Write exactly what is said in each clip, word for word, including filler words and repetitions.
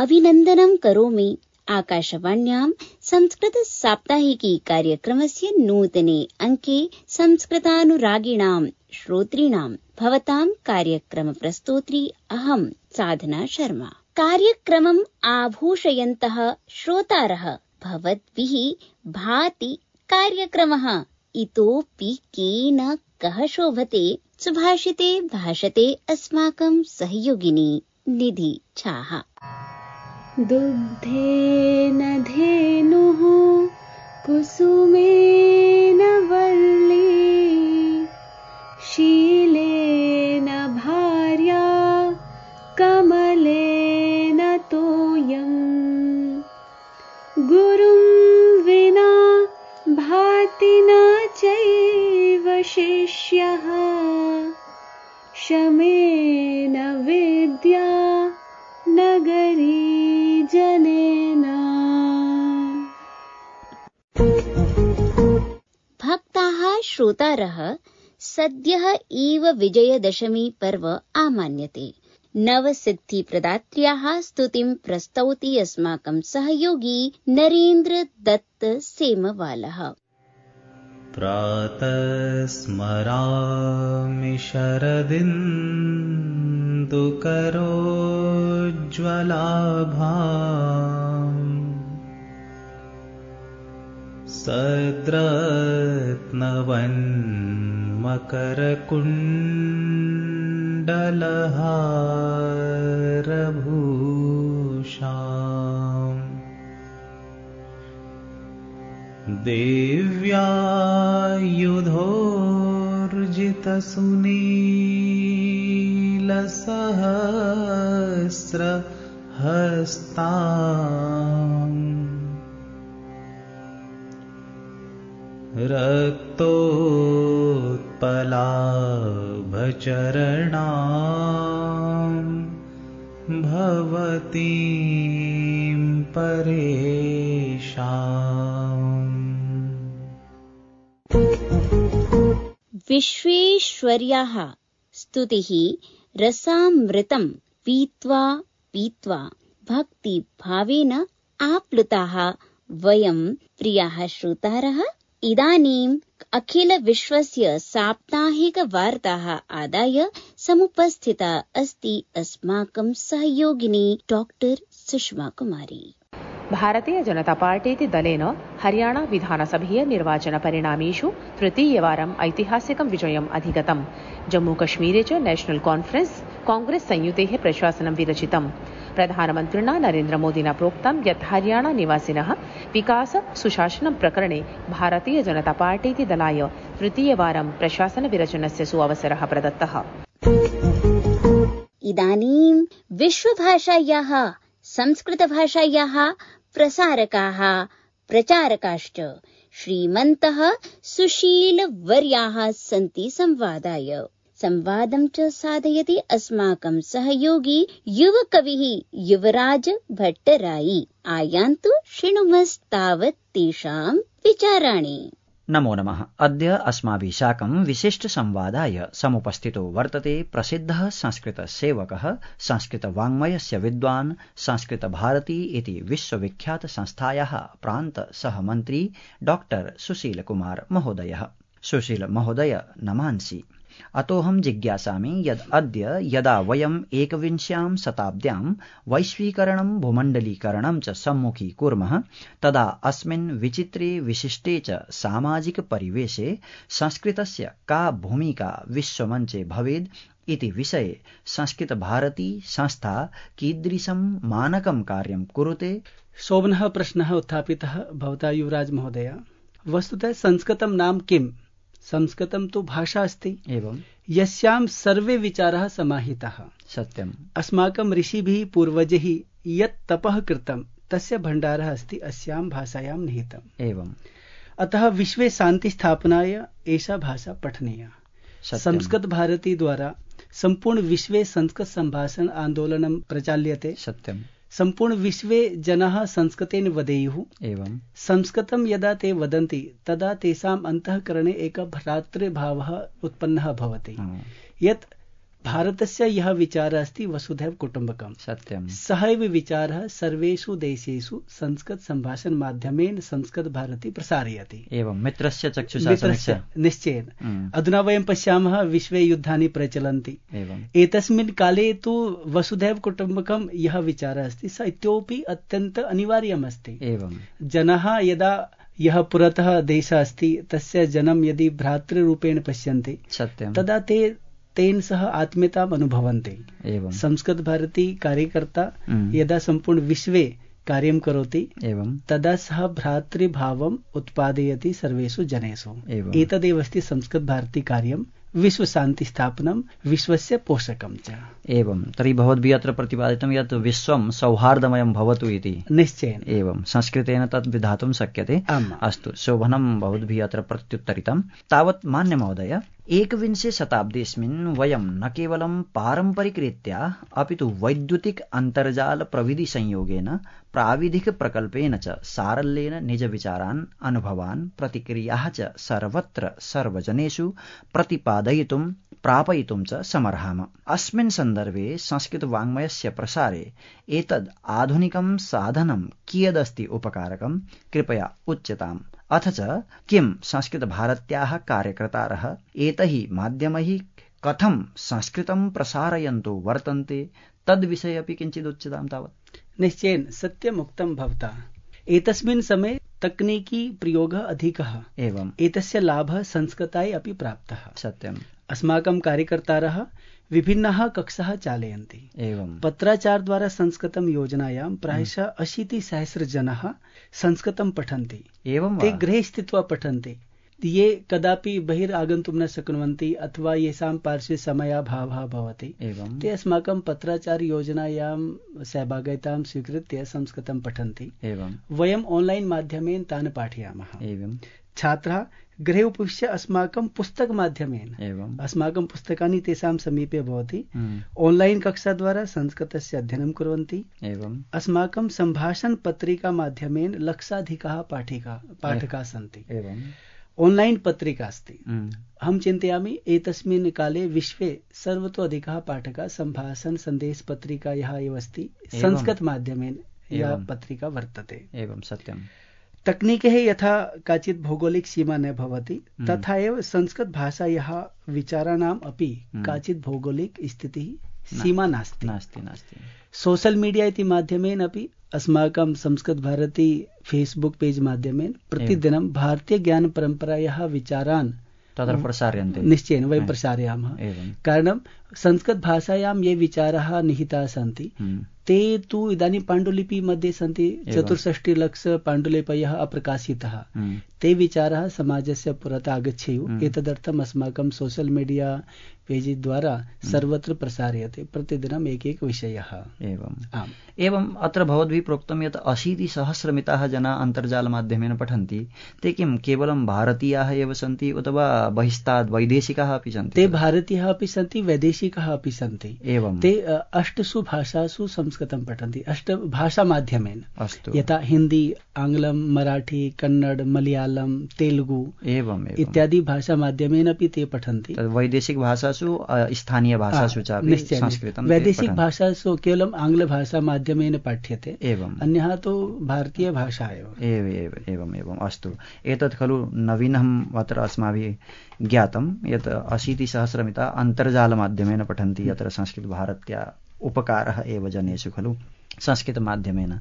अभिनन्दनं करोमि आकाशवाण्यां संस्कृत साप्ताहिकी कार्यक्रमस्य नूतने अंके संस्कृतानुरागिणां श्रोतॄणां भवतां कार्यक्रम प्रस्तोत्री अहं साधना शर्मा। कार्यक्रमम् आभूषयन्तः श्रोतारः भवद्भिः भाति कार्यक्रमः इतोऽपि केन कः शोभते सुभाषिते भाषते अस्माकं सहयोगिनी निधि छाः। दुग्धेन धेनुः कुसुमेन वल्ली शीलेन भार्या कमलेन तोयम् गुरुं विना भाति न चैव शिष्यः शमेन विद्या नगरी जनेन। भक्ताः श्रोतारः सद्यः एव विजयदशमी पर्व आमान्यते। नवसिद्धिप्रदात्र्याः स्तुतिं प्रस्तौति अस्माकं सहयोगी नरेन्द्र दत्त सेमवालः। प्रातः स्मरामि शरदिन्दुकरोज्ज्वलाभाम् सद्रत्नवन्मकरकुण्डलहारभूषाम् देव्यायुधोर्जितसुनीलसहस्रहस्ताम् रक्तोत्पलाभचरणाम् भवतीं परेशाम्। विश्वेश्वर्याः स्तुतिः रसामृतं पीत्वा पीत्वा भक्तिभावेन आप्लुताः वयं प्रियाः श्रोतारः इदानीम् अखिल विश्वस्य साप्ताहिक वार्ताः आदाय समुपस्थिता अस्ति अस्माकं सहयोगिनी डॉक्टर सुषमा कुमारी। भारतीय जनता पार्टी दलेन हरियाणा विधानसभीय निर्वाचन परिणामेषु तृतीयवारम् ऐतिहासिकं विजयम् अधिगतम्। जम्मूकश्मीरे च नेशनल कॉन्फ्रेंस कांग्रेस संयुतेः प्रशासनं विरचितम्। प्रधानमन्त्रिणा नरेन्द्रमोदिना प्रोक्तं यत् हरियाणा निवासिनः विकास सुशासनं प्रकरणे भारतीय जनता पार्टी दलाय तृतीयवारं प्रशासन विरचनस्य सुअवसरः प्रदत्तः। इदानीं विश्वभाषायाः संस्कृतभाषायाः प्रसारकाः प्रचारकाश्च श्रीमन्तः सुशीलवर्याः सन्ति संवादाय। संवादं च साधयति अस्माकं सहयोगी युवकविः युवराज भट्टराई। आयान्तु शृणुमस्तावत् तेषां विचाराणि। नमो नमः। अद्य अस्माभिः साकं विशिष्टसंवादाय समुपस्थितो वर्तते प्रसिद्धः संस्कृतसेवकः संस्कृतवाङ्मयस्य विद्वान् संस्कृतभारती इति विश्वविख्यातसंस्थायाः प्रान्तसहमन्त्री डॉक्टर सुशीलकुमार महोदयः। सुशील महोदय नमांसि। अतोऽहं जिज्ञासामि यद् अद्य यदा वयम् एकविंश्यां शताब्द्यां वैश्वीकरणं भूमण्डलीकरणं च सम्मुखीकुर्मः तदा अस्मिन् विचित्रे विशिष्टे च सामाजिक परिवेशे संस्कृतस्य का भूमिका विश्वमञ्चे भवेद् इति विषये संस्कृतभारती संस्था कीदृशं मानकं कार्यं कुरुते? शोभनः प्रश्नः उत्थापितः भवता युवराज महोदय। वस्तुतः संस्कृतं नाम किम्? संस्कृतं तु भाषा अस्ति एवं यस्यां सर्वे विचाराः समाहिताः। सत्यम्। अस्माकं ऋषिभिः पूर्वजैः यत् तपः कृतं तस्य भण्डारः अस्ति अस्यां भाषायां निहितम्। एवं अतः विश्वे शान्ति स्थापनाय एषा भाषा पठनीया। संस्कृत भारती द्वारा संपूर्ण विश्वे संस्कृत संभाषण आंदोलनं प्रचाल्यते। सत्यम्। संपूर्ण विश्वे जनाः संस्कृतेन वदेयुः। एवं संस्कृतं यदा ते वदन्ति तदा तेषाम् अन्तःकरणे एकः भ्रातृभावः उत्पन्नः भवति। यत् भारतस्य यः विचारः अस्ति वसुधैव कुटुम्बकम् सत्यं सहैव विचारः सर्वेषु देशेषु संस्कृत सम्भाषण माध्यमेन संस्कृत भारती प्रसारयति। एवं मित्रस्य चक्षुषा समीक्षा निश्चयेन। अधुना वयं पश्यामः विश्वे युद्धानि प्रचलन्ति। एवं एतस्मिन् काले तु वसुधैव कुटुम्बकं यः विचारः अस्ति स इतोपि अत्यन्त अनिवार्यम् अस्ति। एवं जनाः यदा यः पुरतः देशः अस्ति तस्य जनं यदि भ्रातृरूपेण पश्यन्ति सत्यं तदा ते तेन सह आत्मीयताम् अनुभवन्ति। एवं संस्कृत भारती कार्यकर्ता यदा सम्पूर्ण विश्वे कार्यं करोति एवं तदा सः भ्रातृभावम् उत्पादयति सर्वेषु जनेषु। एतदेव अस्ति संस्कृत भारती कार्यं विश्वशान्तिस्थापनं विश्वस्य पोषकं च। एवं तर्हि भवद्भिः अत्र प्रतिपादितं यत् विश्वं सौहार्दमयं भवतु इति। निश्चयेन एवं संस्कृतेन तद् विधातुं शक्यते। अस्तु शोभनं भवद्भिः अत्र प्रत्युत्तरितं। तावत् मान्य महोदय एकविंशे शताब्दीस्मिन् वयं न केवलं पारम्परिकरीत्या अपि तु वैद्युतिक अन्तर्जाल प्रविधि संयोगेन प्राविधिक प्रकल्पेन च सारल्येन निजविचारान् अनुभवान् प्रतिक्रियाः च सर्वत्र सर्वजनेषु प्रतिपादयितुं प्रापयितुं च समर्हाम। अस्मिन् सन्दर्भे संस्कृतवाङ्मयस्य प्रसारे एतद् आधुनिकं साधनं कियदस्ति उपकारकं कृपया उच्यताम्। अथ च किं संस्कृतभारत्याः कार्यकर्तारः एतैः माध्यमैः कथं संस्कृतं प्रसारयन्तु वर्तन्ते तद्विषये अपि किञ्चित् उच्यतां तावत्। निश्चयेन सत्यम् उक्तं भवता। एतस्मिन् समये तकनीकी प्रयोगः अधिकः। एवं एतस्य लाभः संस्कृताय अपि प्राप्तः। सत्यम्। अस्माकं कार्यकर्तारः विभिन्नाः कक्षाः चालयन्ति। एवं पत्राचारद्वारा संस्कृतं योजनायां प्रायशः अशीतिसहस्र जनाः संस्कृतं पठन्ति। एवं ते गृहे स्थित्वा पठन्ति। ये कदापि बहिरागन्तुं न शक्नुवन्ति अथवा येषां पार्श्वे समयाभावः भवति एवं ते अस्माकं पत्राचार योजनायां सहभागितां स्वीकृत्य संस्कृतं पठन्ति। एवं वयम् ऑनलाइन माध्यमेन तान् पाठयामः। एवं छात्राः गृहे उपविश्य अस्माकं पुस्तक माध्यमेन एवं अस्माकं पुस्तकानि तेषां समीपे भवति। ऑनलाइन कक्षा द्वारा संस्कृतस्य अध्ययनं कुर्वन्ति। एवं अस्माकं सम्भाषण पत्रिका माध्यमेन लक्षाधिकाः पाठिका पाठकाः सन्ति। एवं ऑनलाइन पत्रिका अस्ति। अहं चिन्तयामि एतस्मिन् काले विश्वे सर्वतो अधिकाः पाठकाः सम्भाषण सन्देश पत्रिकायाः एव अस्ति। संस्कृत माध्यमेन या पत्रिका वर्तते। एवं सत्यम्। तकनीकेः यथा काचित् भौगोलिक सीमा न भवति तथा एव संस्कृत भाषायाः विचाराणाम् अपि काचित् भौगोलिक स्थितिः सीमा नास्ति। नास्ति नास्ति सोशल मीडिया इति माध्यमेन अपि अस्माकं संस्कृत भारती फेसबुक पेज माध्यमेन प्रतिदिनं भारतीय ज्ञान परम्परायाः विचारान् तत्र प्रसार्यन्ते। निश्चयेन वयं प्रसारयामः। कारणं संस्कृत भाषायां ये विचाराः निहिताः सन्ति ते तु इदानीं पाण्डुलिपि मध्ये सन्ति। चतुष्षष्टि लक्ष पाण्डुलिपयः अप्रकाशिताः। ते विचाराः समाजस्य पुरतः आगच्छेयुः। एतदर्थम् अस्माकं सोशल मीडिया पेज द्वारा सर्वत्र प्रसार्यते प्रतिदिनम् एकैक विषयः। एवम् आम्। एवम् अत्र भवद्भिः प्रोक्तं यत् अशीतिसहस्रमिताः जनाः अन्तर्जालमाध्यमेन पठन्ति। ते किं केवलं भारतीयाः एव सन्ति अथवा बहिस्तात् वैदेशिकाः अपि सन्ति? ते भारतीयाः अपि सन्ति वैदेशिकाः अपि सन्ति। एवं ते अष्टसु भाषासु संस्कृतं पठन्ति। अष्ट भाषा माध्यमेन। अस्तु। यथा हिंदी, आङ्ग्लं, मराठी, कन्नड, मलयालम, तेलुगु एवं इत्यादि भाषा माध्यमेन अपि ते पठन्ति। वैदेशिक भाषासु स्थानीय भाषासु च संस्कृतं। वैदेशिक भाषासु केवलं आङ्ग्लभाषा माध्यमेन पाठ्यते। एवं अन्यः तु भारतीय भाषा एव। एव एव एवम् एवम् अस्तु। एतत् खलु नवीनम् अत्र अस्माभिः ज्ञातं यत् अशीतिसहस्रमिता अन्तर्जालमाध्यमेन पठन्ति। अत्र संस्कृतभारत्या उपकारः एव जनेषु खलु संस्कृतमाध्यमेन।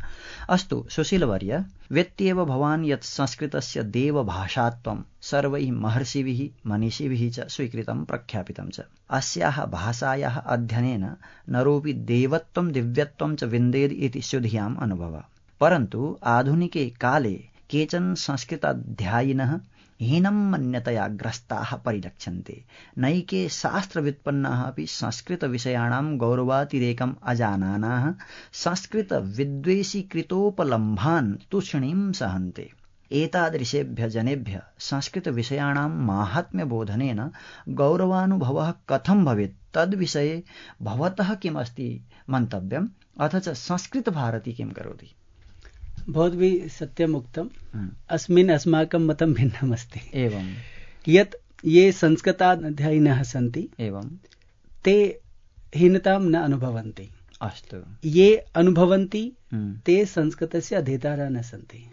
अस्तु सुशीलवर्य, व्यक्त्येव भवान् यत् संस्कृतस्य देवभाषात्वं सर्वैः महर्षिभिः मनीषिभिः च स्वीकृतं प्रख्यापितं च। अस्याः भाषायाः अध्ययनेन नरोऽपि देवत्वं दिव्यत्वं च विन्देत् इति शुद्ध्याम् अनुभवः। परन्तु आधुनिके काले केचन संस्कृताध्यायिनः हीनं मन्यतया ग्रस्ताः परिलक्ष्यन्ते। नैके शास्त्रव्युत्पन्नाः अपि संस्कृतविषयाणां गौरवातिरेकम् अजानानाः संस्कृतविद्वेषीकृतोपलम्भान् तूष्णीं सहन्ते। एतादृशेभ्यः जनेभ्यः संस्कृतविषयाणां माहात्म्यबोधनेन गौरवानुभवः कथं भवेत् तद्विषये भवतः किमस्ति मन्तव्यम्? अथ च संस्कृतभारती किं करोति? भवद्भिः सत्यम् उक्तम्। अस्मिन् अस्माकं मतं भिन्नम् अस्ति। एवं यत् ये संस्कृताध्ययिनः सन्ति एवं ते हीनतां न अनुभवन्ति। अस्तु। ये अनुभवन्ति ते संस्कृतस्य अध्येतारः न सन्ति।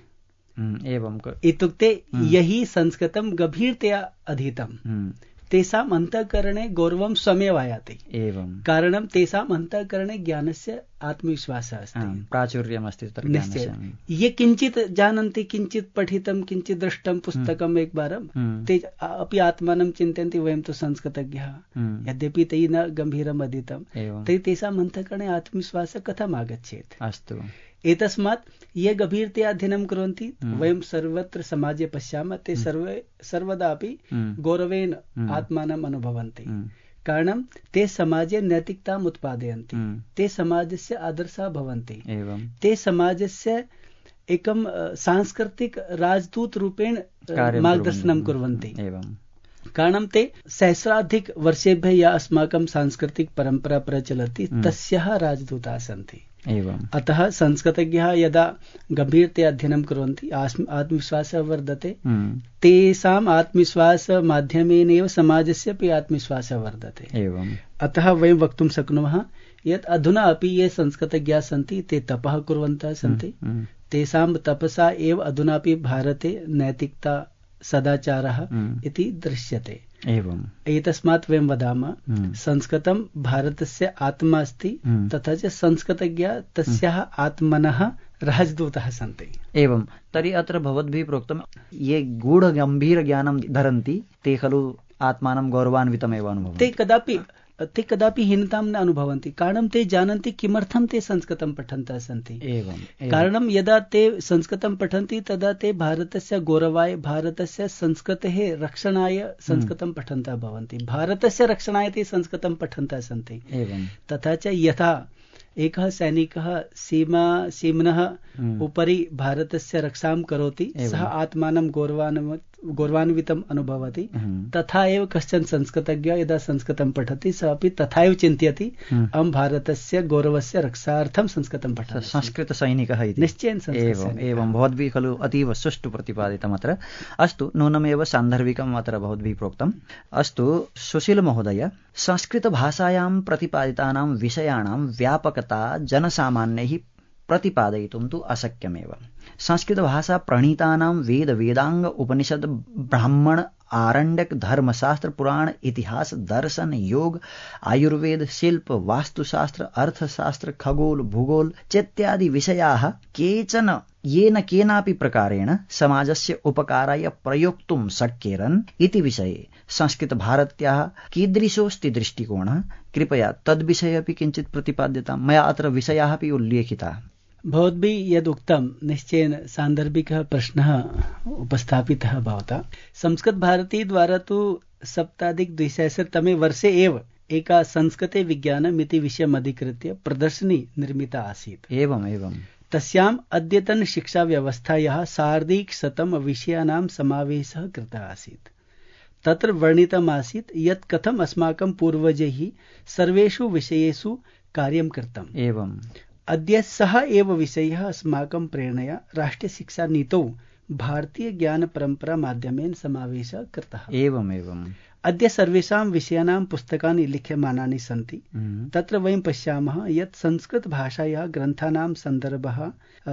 एवं इत्युक्ते यही संस्कृतं गभीरतया अधीतं तेषाम् अन्तःकरणे गौरवं स्वमेव आयाति। एवं कारणं तेषाम् अन्तःकरणे ज्ञानस्य आत्मविश्वासः अस्ति, प्राचुर्यमस्ति तत्र ज्ञानस्य। ये किञ्चित् जानन्ति, किञ्चित् पठितं, किञ्चित् दृष्टं पुस्तकम् एकवारं, ते अपि आत्मानं चिन्तयन्ति वयं तु संस्कृतज्ञः, यद्यपि तैः न गम्भीरम् अधीतं, तर्हि तेषाम् अन्तःकरणे आत्मविश्वासः कथम् आगच्छेत्? अस्तु। एतस्मात् ये गभीरतया अध्ययनं कुर्वन्ति, वयं सर्वत्र समाजे पश्यामः, ते सर्वे सर्वदा अपि गौरवेण आत्मानम् अनुभवन्ति। कारणं ते समाजे नैतिकताम् उत्पादयन्ति, ते समाजस्य आदर्शः भवन्ति, ते समाजस्य एकं सांस्कृतिक राजदूत रूपेण मार्गदर्शनं कुर्वन्ति। कारणं ते सहस्राधिक वर्षेभ्यः या अस्माकं सांस्कृतिक परम्परा प्रचलति तस्याः राजदूताः सन्ति। एवं अतः संस्कृतज्ञाः यदा गम्भीरतया अध्ययनं कुर्वन्ति, आत्मविश्वासः वर्धते, तेषाम् आत्मविश्वासमाध्यमेन एव समाजस्य अपि आत्मविश्वासः वर्धते। एवं अतः वयं वक्तुं शक्नुमः यत् अधुना अपि ये संस्कृतज्ञाः सन्ति ते तपः कुर्वन्तः सन्ति, तेषां तपसा एव अधुनापि भारते नैतिकता सदाचारः इति दृश्यते। एवम् एतस्मात् वयं वदामः संस्कृतं भारतस्य आत्मा अस्ति, तथा च संस्कृतज्ञाः तस्याः आत्मनः राजदूताः सन्ति। एवं तर्हि अत्र भवद्भिः प्रोक्तं ये गूढगम्भीरज्ञानं धरन्ति ते खलु आत्मानं गौरवान्वितमेव अनुभवन्ति। ते कदापि ते कदापि हीनतां न अनुभवन्ति, कारणं ते जानन्ति किमर्थं ते संस्कृतं पठन्तः सन्ति। एवं कारणं यदा ते संस्कृतं पठन्ति तदा ते भारतस्य गौरवाय, भारतस्य संस्कृतेः रक्षणाय संस्कृतं पठन्तः भवन्ति, भारतस्य रक्षणाय ते संस्कृतं पठन्तः सन्ति। एवं तथा च यथा एकः सैनिकः सीमा सीम्नः उपरि भारतस्य रक्षां करोति, सः आत्मानं गौरवान्वित गौरवान्वितम् अनुभवति, तथा एव कश्चन संस्कृतज्ञः यदा संस्कृतं पठति सः अपि तथा एव चिन्तयति अहं भारतस्य गौरवस्य रक्षार्थं संस्कृतं पठामि, संस्कृतसैनिकः इति। निश्चयेन एवम् एवं भवद्भिः खलु अतीव सुष्ठु प्रतिपादितम् अत्र। अस्तु, नूनमेव सान्दर्भिकम् अत्र भवद्भिः प्रोक्तम्। अस्तु सुशील महोदय, संस्कृतभाषायां प्रतिपादितानां विषयाणां व्यापकता जनसामान्यैः प्रतिपादयितुं तु अशक्यमेव। संस्कृतभाषा प्रणीतानां वेद वेदांग उपनिषद ब्राह्मण आरण्यक धर्मशास्त्र पुराण इतिहास दर्शन योग आयुर्वेद शिल्प वास्तुशास्त्र अर्थशास्त्र खगोल भूगोल चेत्यादि विषयाः केचन येन केनापि प्रकारेण समाजस्य उपकाराय प्रयोक्तुं शक्येरन् इति विषये संस्कृतभारत्याः कीदृशोऽस्ति दृष्टिकोणः? कृपया तद्विषये अपि किञ्चित् प्रतिपाद्यताम्। मया अत्र विषयाः अपि उल्लेखिताः। भवद्भिः यदुक्तं निश्चयेन सान्दर्भिकः प्रश्नः उपस्थापितः भवता। संस्कृतभारती द्वारा तु सप्ताधिक द्विसहस्रतमे वर्षे एव एका संस्कृते विज्ञानम् इति विषयम् अधिकृत्य प्रदर्शनी निर्मिता आसीत्। एवम् एवं तस्याम् अद्यतन शिक्षा व्यवस्थायाः सार्धैकशतं विषयाणां समावेशः कृतः आसीत्। तत्र वर्णितमासीत् यत् कथम् अस्माकं पूर्वजैः सर्वेषु विषयेषु कार्यं कृतम्। एवम् अद्य सः एव विषयः अस्माकं प्रेरणया राष्ट्रियशिक्षानीतौ भारतीय ज्ञान परंपरा माध्यमेन समावेशः कृतः। एवम् एवम् अद्य सर्वेषां विषयाणां पुस्तकानि लिख्यमानानि सन्ति। तत्र वयं पश्यामः यत् संस्कृतभाषायाः ग्रन्थानां सन्दर्भः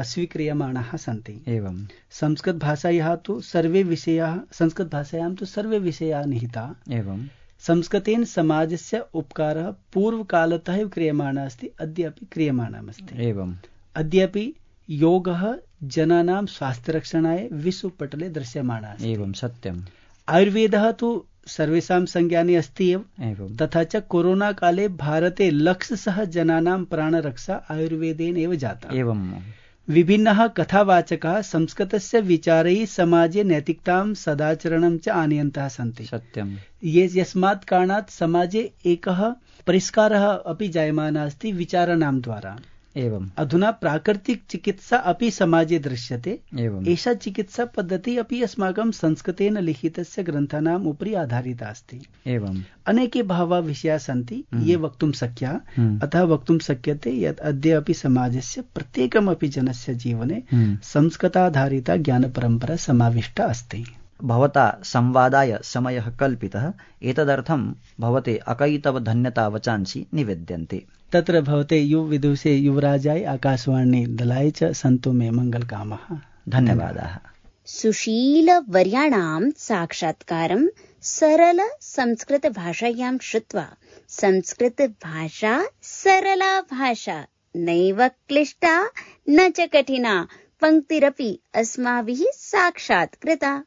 स्वीक्रियमाणाः सन्ति। एवं संस्कृतभाषायाः तु सर्वे विषयाः संस्कृतभाषायां तु सर्वे विषयाः निहिताः। एवं संस्कृतेन समाजस्य उपकारः पूर्वकालतः एव क्रियमाणः अस्ति, अद्यापि क्रियमाणमस्ति। एवम् अद्यापि योगः जनानां स्वास्थ्यरक्षणाय विश्वपटले दृश्यमानः अस्ति। एवं सत्यम्। आयुर्वेदः तु सर्वेषां संज्ञाने अस्ति एव। एवं तथा च कोरोना काले भारते लक्षशः जनानां प्राणरक्षा आयुर्वेदेन एव जाता। एवं विभिन्नः कथावाचकाः संस्कृतस्य विचारैः समाजे नैतिकतां सदाचरणं च आनयन्तः सन्ति। सत्यम्। ये यस्मात् कारणात् समाजे एकः परिष्कारः अपि जायमानः अस्ति विचाराणां द्वारा। एवं अधुना प्राकृतिक चिकित्सा अपि समाजे दृश्यते। एवं एषा चिकित्सा पद्धति अपि अस्माकं संस्कृतेन लिखितस्य ग्रन्थानाम् उपरि आधारिता अस्ति। एवं अनेके बहवः विषयाः सन्ति ये वक्तुं शक्याः। अतः वक्तुं शक्यते यत् अद्य अपि समाजस्य प्रत्येकमपि जनस्य जीवने संस्कृताधारिता ज्ञानपरम्परा समाविष्टा अस्ति। भवता संवादाय समयः कल्पितः, एतदर्थं भवते अकैतव धन्यता वचांसि निवेद्यन्ते। तत्र भवते युवविदुषे युवराजाय आकाशवाणी दलाय च सन्तु मे मङ्गलकामः। धन्यवादाः। सुशीलवर्याणां साक्षात्कारं सरल संस्कृत भाषायां श्रुत्वा संस्कृत भाषा सरला भाषा, नैव क्लिष्टा न च कठिना पंक्तिरपि अस्माभिः साक्षात् कृता।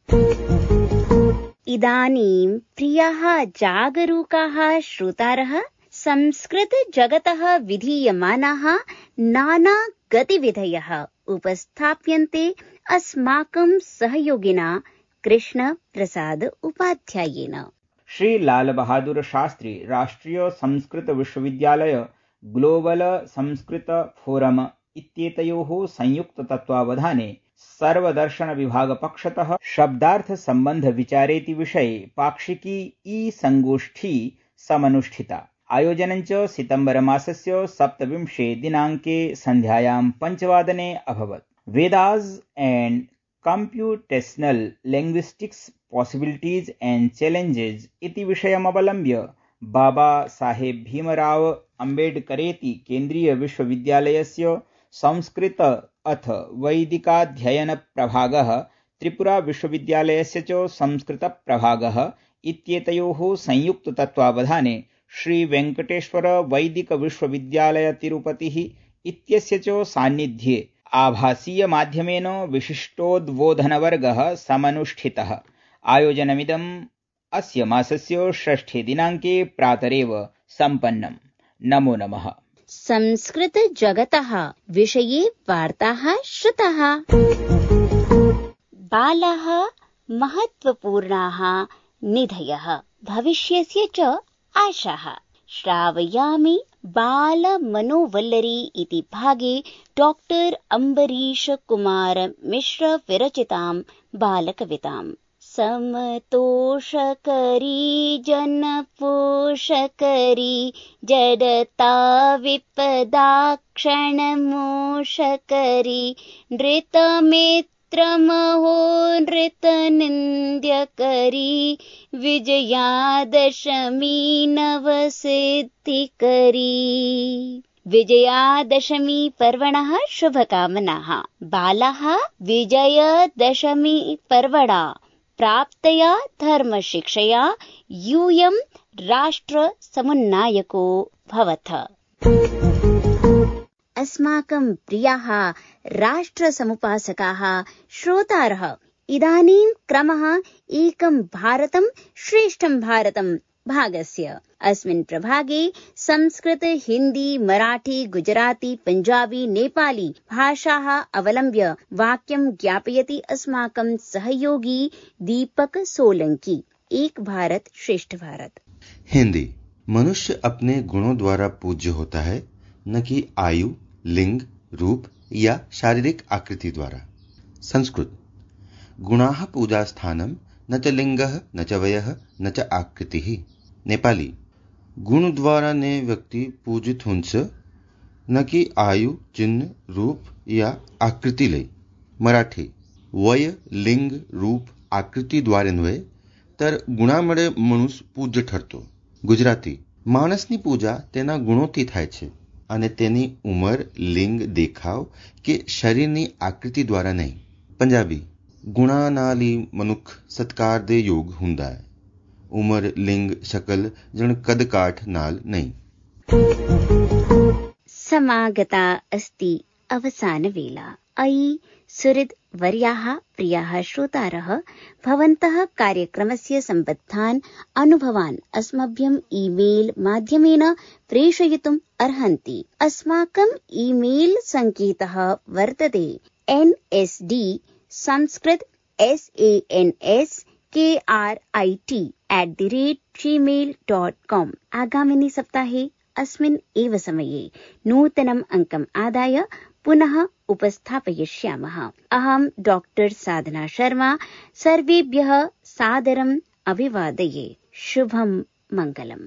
इदानीं प्रियाः जागरूकाः श्रोतारः, संस्कृत जगतः विधीयमानाः नाना गतिविधयः उपस्थाप्यन्ते अस्माकं सहयोगिना कृष्ण प्रसाद उपाध्यायेन। श्री लाल बहादुर शास्त्री राष्ट्रीय संस्कृत विश्वविद्यालय ग्लोबल संस्कृत फोरम इत्येतयोः संयुक्त तत्त्वावधाने सर्वदर्शन विभाग पक्षतः शब्दार्थ संबंध विचारेति विषये पाक्षिकी ई संगोष्ठी समनुष्ठिता। आयोजनञ्च सितम्बर मासस्य सप्तविंशे दिनाङ्के सन्ध्यायां पञ्चवादने अभवत्। Vedas and computational linguistics possibilities and challenges इति विषयमवलम्ब्य बाबा साहेब भीमराव अम्बेडकरेति केन्द्रीय विश्वविद्यालयस्य संस्कृत अथ वैदिकाध्ययन प्रभागः, त्रिपुरा विश्वविद्यालयस्य च संस्कृत प्रभागः इत्येतयोः संयुक्त तत्त्वावधाने श्री वेंकटेश्वर वैदिक विश्वविद्यालय तिरुपतिः इत्यस्य च सान्निध्ये आभासीय माध्यमेन विशिष्टोद्बोधनवर्गः समनुष्ठितः। आयोजनमिदम् अस्य मासस्य षष्ठे दिनाङ्के प्रातरेव सम्पन्नम्। नमो नमः। संस्कृत जगतः विषये वार्ताः श्रुताः। बालाः महत्वपूर्णाः निधयः, भविष्यस्य च आशाः। श्रावयामि बाल मनोवल्लरी इति भागे डॉक्टर अम्बरीश कुमार मिश्र विरचितां बालकविताम्। समतोषकरी जनपोषकरी जडता विपदाक्षणमोषकरी नृतमित्रमहो नृतनिन्द्यकरी विजयादशमी नवसिद्धिकरी। विजयादशमी पर्वणः शुभकामनाः। बालाः विजयदशमी पर्वणा प्राप्तया धर्मशिक्षया यूयं राष्ट्र समुन्नायको भवथ। अस्माकं प्रियाः राष्ट्र समुपासकाः श्रोतारः, इदानीं क्रमः एकं भारतं श्रेष्ठं भारतं भागस्य। अस्मिन् प्रभागे संस्कृत, हिंदी, मराठी, गुजराती, पंजाबी, नेपाली भाषाः अवलम्ब्य वाक्यं ज्ञापयति अस्माकं सहयोगी दीपक सोलंकी। एक भारत श्रेष्ठ भारत। हिंदी। मनुष्य अपने गुणों द्वारा पूज्य होता है, न कि आयु, लिंग, रूप या शारीरिक आकृति द्वारा। संस्कृत। गुणाः पूजा स्थानं न च लिंगः न च वयः न च आकृतिः। नेपाली। गुण द्वारा ने व्यक्ति पूजित हुन्छ, न कि आयु, चिन्ह, रूप या आकृति लई। मराठी। वय, लिंग, रूप, आकृति द्वारे नव्हे तर गुणामळे मनुष्य पूज्य ठरतो। गुजराती। માણસની પૂજા તેના ગુણોથી થાય છે અને તેની ઉંમર, લિંગ, દેખાવ કે શરીરની આકૃતિ દ્વારા નહીં. પંજાબી. ਗੁਣਾਂ ਨਾਲ ਹੀ ਮਨੁੱਖ ਸਤਕਾਰ ਦੇ ਯੋਗ ਹੁੰਦਾ ਹੈ, ਉਮਰ, ਲਿੰਗ, ਸ਼ਕਲ ਜਣ ਕਦ ਕਾਠ ਨਾਲ ਨਹੀਂ. समागता अस्ति अवसानवेला। अयि सुहृद् वर्याः प्रियाः श्रोतारः, भवन्तः कार्यक्रमस्य सम्बद्धान् अनुभवान् अस्मभ्यम् ईमेल् माध्यमेन प्रेषयितुम् अर्हन्ति। अस्माकम् ईमेल् सङ्केतः वर्तते N S D Sanskrit S A N S K R I T at the rate Gmail dot com. आगामिनि सप्ताहे अस्मिन् एव समये नूतनम् अङ्कम् आदाय पुनः उपस्थापयिष्यामः। अहं डॉक्टर साधना शर्मा सर्वेभ्यः सादरम् अभिवादये। शुभं मङ्गलम्।